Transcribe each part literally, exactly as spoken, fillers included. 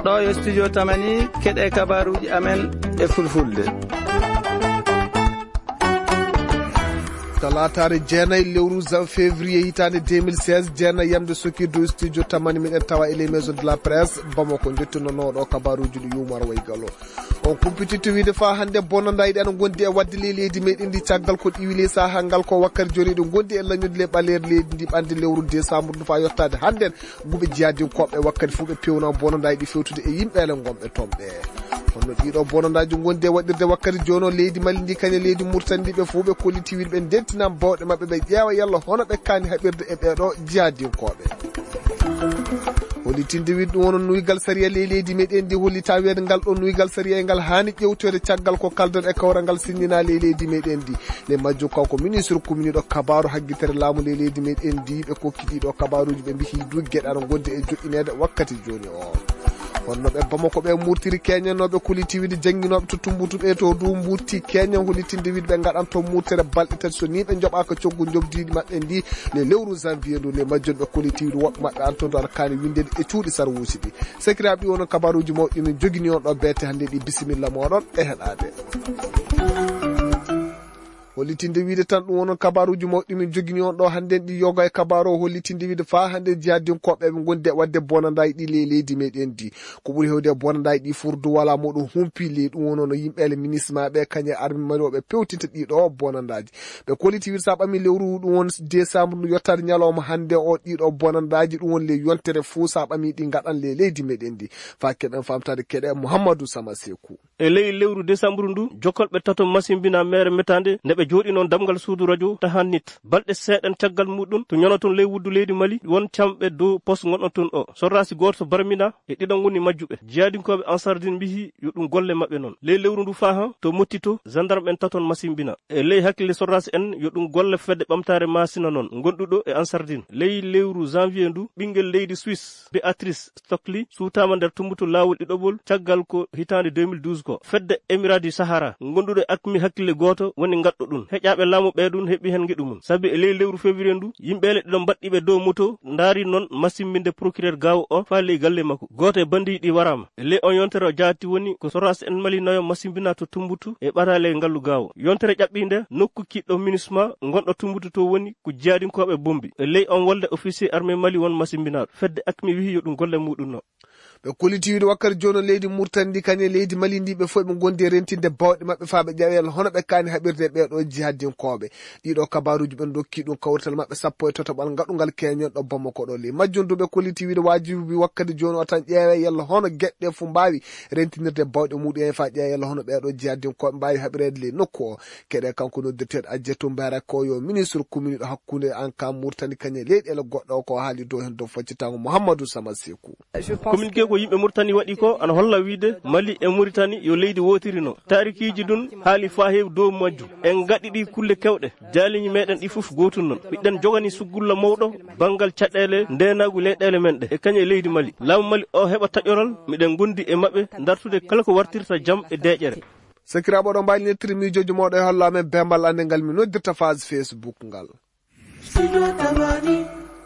Ɗo yo studio Tamani, keɗe kabaruji amen e fulfulde. Talaataare jeenayi lewru jan-, février hitaande deux mille seize, jeenayi yamde sokirdu studio Tamani, miɗen tawa e les maisons de la presse Bamako, jottinonooɗo kabaruji ɗi Yumar Waygalo. On kumpititto wiide faa hannde bonandaaji ɗi ana ngondi e waɗde ley leydi meɗen ndi, caggal ko ɗiwi ley sahaa ngal ko wakkati jooni eɗi ngondi e lañude ley ɓaleeri leydi ndi ɓannde lewru décembre ndu faa yottaade hannden. Guɓe jihadinkooɓe wakkati fof ɓe peewna bonandaaji ɗi fewtude e yimɓeele ngonɓe toon ɓe. Hono ɗiɗo bonandaaji ngondi e waɗirde wakkati jooni o leydi Mali ndi kañe leydi Murtani ndi, ɓe fof ɓe kolliti wiide ɓe ndentinam bawɗe maɓɓe, ɓe ƴeewa yalla hono ɓe kaani haɓirde e ɓeeɗo jihadinkooɓe. Hollitinde wiide ɗum woni nuygal sariya ley leydi meɗen ndi, hollita wiyeede ngal ɗo nuygal sariya e ngal haani ƴewtoyde caggal ko kaldon e kawral ngal sinnina ley leydi meɗen ndi. Ley majjum kanko ministre kumniiɗo kabaaru haggitere laamu ley leydi meɗen ndi, ɓe kokki ɗiɗo kabaaruji ɓe mbiyi du geɗe ana ngondi e joɗɗineede wakkati jooni o. Honno ɓe Bamako ɓe murtiri keñannooɓe kolliti wiide jannginooɓe to Tumbutu ɓe to du mburti keñan, hollitinde wiide ɓe ngaɗan toon murtere balɗe tati so ni ɓe njoɓaaka coggu njoɓdiiɗi maɓɓe ndi. Ley lewru janvier ndu, ley majjum ɓe kolliti wiide woɓɓe maɓɓe ana toon du ana kaani winndede e cuuɗi sarwuusi ɗi. Sakiraaɓe, ɗi wono kabaruuji mawɗi min jogini on ɗo beete hannde ɗi, bisimilla mooɗon e heɗaade. Hollitinde wiide tan ɗum wono kabaruuji mawɗi min jogini on ɗo hannde ɗi, yoga e kabaaru o hollitinde wiide faa hannde jihadinkooɓe ɓe ngondi e waɗde bonandaaji ɗi ley leydi meɗen ndi. Ko ɓuri heewde e bonandaaji ɗi furdu wala moɗo humpi ley ɗum wono no yimɓe ele minisma ɓe kañe armi mari o ɓe pewtinta ɗiɗo bonandaaji. Ɓe kolliti wiide sa ɓami lewru ɗum won décembre ndu yottaade ñalawma hannde o, ɗiɗo bonandaaji ɗum won ley yontere fuu sa ɓami ɗi ngaɗan ley leydi meɗen ndi. Faa keɗen famtaade keɗe Mouhamadou Sama Sekou. E ley lewru décembre ndu, jokkolɓe tato masimbina mere metande nde ɓe jooɗi noon damgal suudu radio Tahanit. Balɗe seeɗan caggal muɗum to ñono toon ley wuddu leydi Mali, won camɓe dow poste gonɗon toon o. Sorraasi gooto barmina e ɗiɗo ngoni majjuɓe. Jihadinkooɓe Ansardine mbiyi yo ɗum golle maɓɓe noon. Ley lewru ndu faa han to mottito, gendarme en taton masimbina. E ley hakkille sorraasi en yo ɗum golle fedde ɓamtaare Masina noon, ngonɗuɗo e Ansardine. Ley lewru janvier ndu, ɓinngel leydi Suisse, Béatrice Stockley, suutaama nder tumbutu laawol ɗiɗoɓol caggal ko hitaande deux mille douze ko. Fedde Émirats du Sahara, ngonɗuɗo e akmi hakkille gooto woni ngaɗɗo ɗum. Heƴaaɓe laamu ɓee ɗum heɓi heen ngeɗu mum. Sabi e ley lewru février ndu, yimɓe ele ɗiɗo mbaɗɗiiɓe dow moto ndaari noon masimbinde procureur Gaawo o faa ley galle makko. Gooto e banndiiji ɗi waraama. E ley on yontere o jaati woni ko sorraasi en Mali nayo masimbina to Tumbutu e ɓataale ngallu Gaawo. Yontere ƴaɓɓiinde nokku kiɗɗo minisma ngonɗo Tumbutu to woni ko jihadinkooɓe bombi. E ley on wolde officier armée Mali won masimbinaaɗo. Fedde akmi wiyi yo ɗum golle muɗum no. Ɓe kolliti wiide wakkati jooni leydi Murtani ndi kañe leydi Mali ndi ɓe fof ɓe ngondi e rentinde bawɗe maɓɓe faa ɓe ƴeewa yalla hono ɓe kaani haɓirde e ɓeeɗo jihadinkooɓe. Ɗiɗo kabaruuji ɓen dokki ɗum kawrital maɓɓe sappo e tataɓal ngaɗungal keñen ɗo Bamako ɗo. Ley majjum du ɓe kolliti wiide waajibi wakkati jooni o tan ƴeewe yalla hono geɗe ɗe fof mbaawi rentinirde bawɗe muɗum en faa ƴeewe yalla hono ɓeeɗo jihadinkooɓe mbaawi haɓireede ley nokku o. Keɗe kanko noddirteeɗo Adjetou Mbere ko yo ministre kuminiiɗo hakkunde an ka Murtani kañe leyɗeele goɗɗo o ko haali dow heen dow faccitango Mouhamadou Sama Sekou. Communiqué ko yimɓe Murtani waɗi ko ana holla wiide Mali e Muritani yo leydi wootiri no. Taarikiiji ɗun haali faa heewi dow majjum. En ngaɗi ɗi kulle kewɗe. Jaaliiji meɗen ɗi fof gootum non. Miɗen jogani suggulla mawɗo banngal caɗeele ndeenaagu leyɗeele men ɗe e kañum e leydi Mali. Laamu Mali o heɓa taƴoral, miɗen ngondi e maɓɓe dartude kala ko wartirta jam e deeƴere. Sakiraaɓe, oɗon mbaawi nettirde miijooji mooɗon e holla amen bembal annde ngal mi noddirta page Facebook ngal.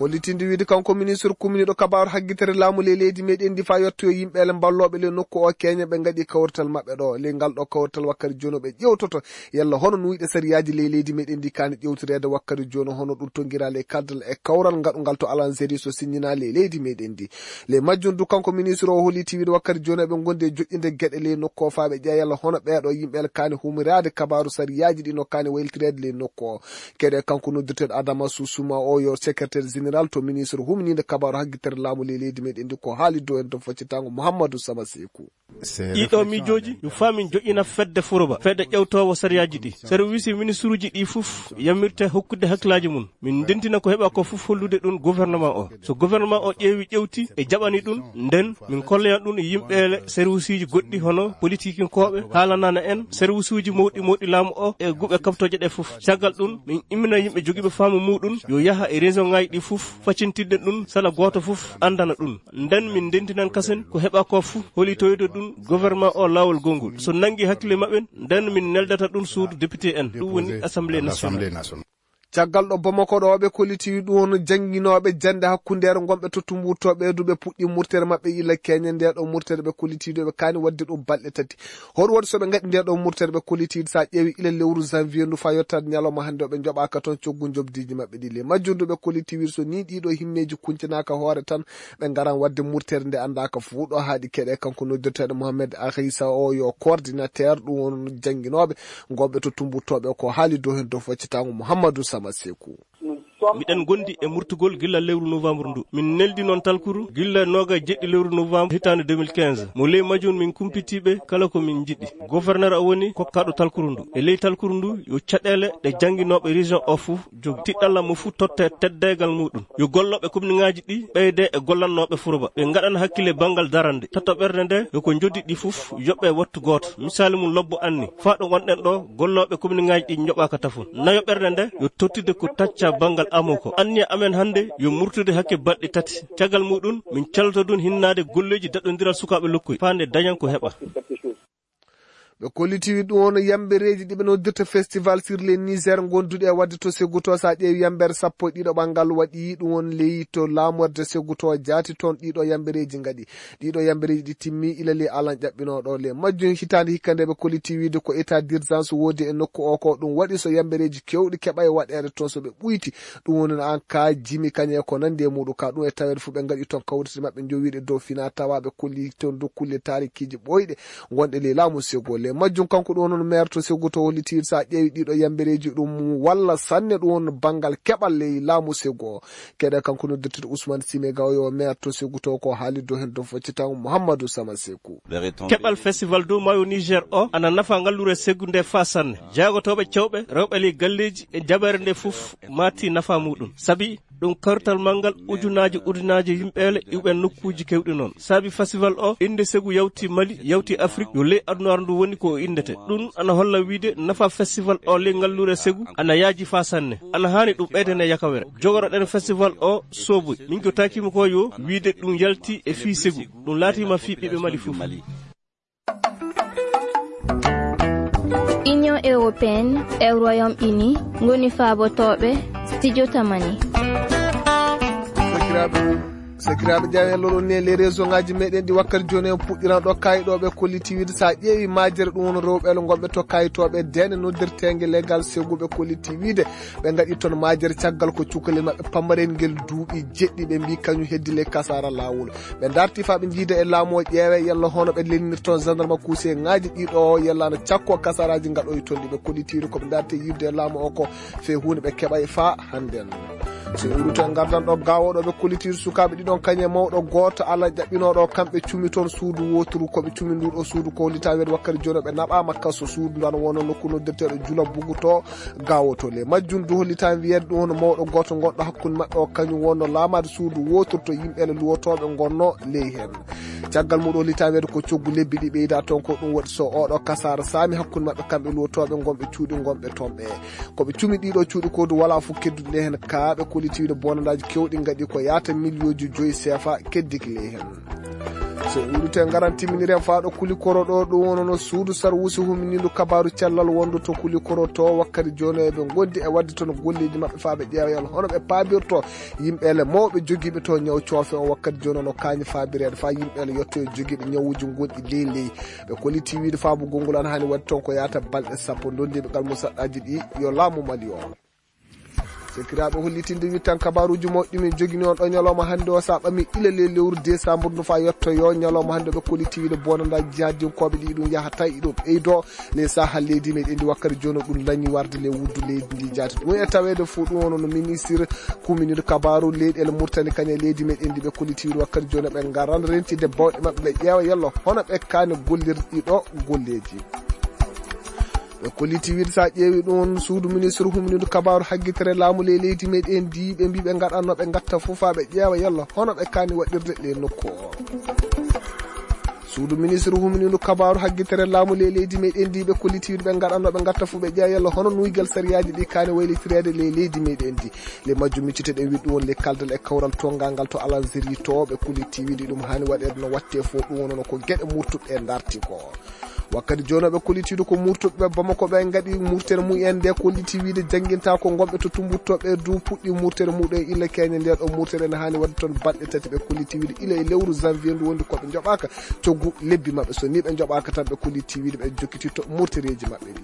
Hollitinde wiide kanko ministre kuminiiɗo kabaaru haggitere laamu ley leydi meɗen ndi faa yetto yo yimɓe ele mballooɓe ley nokku o keñe ɓe ngaɗi kawrital maɓɓe ɗo. Ley ngal ɗo kawrital wakkati jooni o ɓe ƴewtoto yalla hono nuyɗe sariyaaji ley leydi meɗen ndi kaani ƴewtoreede wakkati jooni hono ɗum tonngiraa ley kaldal e kawral ngaɗungal to Alanzeri so siññinaa ley leydi meɗen ndi. Ley majjum du kanko ministre o holliti wiide wakkati jooni eɓe ngondi e joƴƴinde geɗe ley nokku o faa ɓe ƴeewa yalla hono ɓeeɗo yimɓe ele kaani humiraade kabaaru sariyaaji ɗi no kaani waylitirede ley nokku o. Keɗe kanko noddirteeɗo Adama Susuma o yo secrétaire général to ministre humniinde kabaaru haggitere laamu ley leydi meɗen ndi ko haali dow en to faccitango Mouhamadou Sama Sekou. Ɗiɗo miijooji yo faamin joƴƴina fedde Furoba, fedde ƴewtoowo sariyaaji ɗi. Service ministruuji ɗi fof yamirte hokkude hakkillaaji mum. Min ndentina ko heɓa ko fof hollude ɗum gouvernement o. So gouvernement o ƴeewi ƴewti e jaɓani ɗum, nden min kolloyan ɗum yimɓe ele serviceeji goɗɗi hono politikinkooɓe, haalanana en serviceeji mawɗi mawɗi laamu o e guɓe kaɓtooje ɗe fof. Caggal ɗum, min immina yimɓe jogiiɓe faamu muɗum yo yaha e région ŋaaji ɗi fof, faccintinde ɗum sala gooto fof anndana ɗum. Nden min ndentinan kasen ko heɓa ko fof holitoyde ɗum gouvernement o laawol gonngol. So nanngi hakkille maɓɓen, nden min neldata ɗum suudu député en, ɗum woni Assemblée nationale. Caggal ɗo Bamako ɗo, ɓe kollitiwi ɗum on jannginooɓe jannde hakkundeere ngonɓe to Tumbutu, ɓe du ɓe puɗɗi murtere maɓɓe ila keñe nde ɗo murtere ɓe kollitiwi ɗo ɓe kaani waɗde ɗum balɗe tati. Hoɗum waɗi so ɓe ngaɗi nde ɗo murtere ɓe kollitiwi, so a ƴeewi ila lewru janvier ndu faa yottaade ñalawma hannde o ɓe njoɓaaka toon coggu njoɓdiiji maɓɓe ɗi le. Majjum du ɓe kollitiwi so ni ɗiɗo himmeeji kuncinaka hoore tan ɓe ngaran waɗde murtere nde anndaaka fuu ɗo haaɗi keɗe kanko noddirteeɗo Mohamed Akhisa o yo coordinateur ɗum on jannginooɓe ngonɓe to Tumbutu ɓe ko haali dow heen dow faccitaango Mouhamadou Sama Sekou. Miɗen ngondi e murtugol gilla lewru novembre ndu. Min neldi noon talkuru gilla nooga e jeɗɗi lewru novembre hitaande deux mille quinze. Mo ley majjum min kumpitiiɓe kala ko min njiɗi. Gouverneur o woni kokkaaɗo talkuru ndu. E ley talkuru ndu yo caɗeele ɗe jannginooɓe région o fuu jog tiɗɗalla mo fuu totte teddaygal muɗum. Yo gollooɓe komniŋaaji ɗi ɓeyde e gollannooɓe furoba. Ɓe ngaɗana hakkille banngal darande. Tato ɓernde nde yo ko njoddi ɗi fuf yoɓɓe wattu gooto. Misaali mum lobbo anni. Faa ɗo ngonɗen ɗo gollooɓe komniŋaaji ɗi njoɓaaka tafon. Nayo ɓernde nde yo tottirde ko tacca banngal amo ko. Anniya amen hannde yo murtude hakke balɗe tati. Caggal muɗum min calto dun hinnaade golleeji daɗondiral sukaaɓe lokkoy. Faa nde dañan ko heɓa. Ɓe kollitiwi ɗum on yambereeji ɗi ɓe noddirta festival sur les Niger gonduɗi e waɗde to Seguto. So a ƴeewi yambere sappo e ɗiɗo ɓanngal waɗi ɗum on ley to laamorde Seguto jaati toon ɗiɗo yambereeji ngaɗi. Ɗiɗo yambereeji ɗi timmi ila ley alan ƴaɓɓinooɗo le majjum hitaande hikka nde ɓe kollitiwi de ko état d'urgence woodi e nokku o ko ɗum waɗi so yambereeji kewɗi keɓa e waɗeede toon so ɓe ɓuyti. Ɗum woni no an ka jimi kañe ko nandi e muɗum ka ɗum e taweede fof ɓe ngaɗi toon kawrite maɓɓe jowiiɗe dow fina tawa ɓe kolli toon dow kulle taarikiiji ɓooyɗe wonɗe ley laamu Sego. Le majjum kanko ɗum woni maire to Sego to hollitiiɗo so a ƴeewi ɗiɗo yambereeji ɗum walla sanne ɗum woni banngal keɓal ley laamu Sego. Keɗe kanko noddirteeɗo Ousmane Sime Gaw yo maire to Sego to ko haali dow heen dow foccitan Mouhamadou Sama Sekou. Keɓal festival dow maayo Niger o ana nafa ngallure Segu nde faa sanne. Jaagotooɓe cewɓe rewɓe ley galleeji e jaɓeere nde fof maati nafa muɗum. Sabi ɗum kawrital manngal ujunaaji ujunaaji yimɓeele iwɓe nokkuuji kewɗi noon. Sabi festival o innde Segu yawti Mali, yawti Afrik, yo ley adunaaru ndu woni ko o inndete. Ɗum ana holla wiide nafa festival o ley ngallure Segu ana yaaji faa sanne. Ana haani ɗum ɓeydane yakawere. Jogoroɗen festival o sooboy. Min ko takiima ko yo wiide ɗum yalti e fii Segu. Ɗum laatiima fii ɓiɓɓe Mali fof. Union européenne e Royaume-Uni ngoni faabotooɓe studio Tamani. Sakiraaɓe, sakiraaɓe, jaawen loro ne les réseau ngaji meɗen ɗi wakkati jooni en puɗɗiran ɗo kayɗo ɓe kolliti wiide sa ƴeewi majere ɗum woni rewɓe le gonɓe to kayitoɓe dene noddirtenge legal seguɓe kolliti wiide ɓe ngaɗi toon majere caggal ko cukalel maɓɓe pamaren ngel duuɓi jeɗɗi ɓe mbi kañum heddi le kasara lawol. Ɓe darti faa ɓe njiida e laamu o ƴeewe yalla hono ɓe lelnir toon gendarme kuuseŋaaji ɗiɗo o yalla no cakko kasaraaji ngaɗoyi toon ɗi ɓe kollitiiri ko ɓe darti yiwde e laamu o ko fee huunde ɓe keɓay faa hannden. So en ruto en ngardan ɗo gaawo ɗo ɓe kollitiiri sukaaɓe ɗiɗon kañe mawɗo gooto ala jaɓɓinooɗo kamɓe cumi toon suudu wooturu ko ɓe cumi nduɗo suudu ko hollita weede wakkati jooni ɓe naɓaama kaso suudu ndu ana wonno nokku noddirteeɗo jula bugu to Gaawotoo le majjum du hollitaani wiyeede ɗum hono mawɗo gooto gonɗo hakkunde maɓɓe o kañum wonno laamaade suudu wootorto yimɓe le luwotooɓe ngonno ley heen. Caggal muɗum hollitaani wiyeede ko coggu lebbi ɗi ɓeyda toon ko ɗum waɗi so oɗo kasaara saami hakkunde maɓɓe kamɓe luwotooɓe ngonɓe cuuɗi ngonɓe toon ɓe. Ko ɓe cumi ɗiɗo cuuɗi ko du wala fof kedduɗi le heen ka ɓe kolliti wiide bonandaaji kewɗi ngaɗi ko yaata miliyooji joyi seefa keddiki ley heen. So en udditi en ngaran timminiren faa ɗo Kulikoro ɗo ɗum wonno suudu sarwusi huminindu kabaaru cellal wondu to Kulikoro to wakkati jooni eɓe ngondi e waɗde toon golleeji maɓɓe faa ɓe ƴeewa yalla hono ɓe paabirto yimɓe le mawɓe jogiiɓe to ñaw coofe o wakkati jooni no kaañi faabireede faa yimɓe le yetto e jogiiɓe ñawuuji gonɗi ley ley ɓe kolliti wiide faabugol ngol ana haani waɗde toon ko yaata balɗe sappo ndondiiɓe ngal musaɗɗaaji ɗi yo laamu Mali o. Sakiraaɓe hollitinde wittan kabaaruuji mawɗi min jogini on ɗo ñalawma hannde o so a ɓami ila le lewru décembre ndu faa yettoyo ñalawma hannde ɓe kolliti wiide bonandaaji jihadinkooɓe ɗi ɗum yahata iɗum ɓeydo le saha leydi meɗen ndi wakkati jooni ɗum lañi warde le wuddu leydi ndi jaati ɗum e taweede fof ɗum wonno ministre kuminir kabaaru leyɗeele Murtani kañe leydi meɗen ndi ɓe kolliti wiide wakkati jooni ɓe ngaran rentide bawɗe maɓɓe ɓe ƴeewa yalla hono ɓe kaani gollirɗi ɗo golleeji. Ɓe kolliti wiide so a ƴeewi ɗum suudu ministre humnindu kabaaru haggitere laamu ley leydi meɗen ndi ɓe mbi ɓe ngaɗanno ɓe ngatta fof faa ɓe ƴeewa yalla hono ɓe kaani waɗirde le nokku o. Suudu ministre humnindu kabaaru haggitere laamu ley leydi meɗen ndi ɓe kolliti wiide ɓe ngaɗanno ɓe ngatta fof ɓe ƴeewa yalla hono nuygal sariyaaji ɗi kaani waylitireede ley leydi meɗen ndi. Le majjum micciteɗen wiɗɗu won le kaldal e kawral tongal ngal to Alanzeri to ɓe kolliti wiide ɗum haani waɗeede no watte fof ɗum wonno ko geɗe murtuɓe darti ko. Wakkati jooni ɓe kollitiiɗo ko murtuɓe Bamako ɓe ngaɗi murtere mumen nde kolliti wiide jannginta ko ngonɓe to Tumbuttu ɓe du puɗɗi murtere muɗum illa keñe nde ɗo murtere ne haani waɗde toon balɗe tati ɓe kolliti wiide ila e lewru janvier ndu wondi koɓe njoɓaka coggu lebbi maɓɓe so ni ɓe njoɓaka tan ɓe kolliti wiide ɓe jokkititto murtereji maɓɓe ɗi.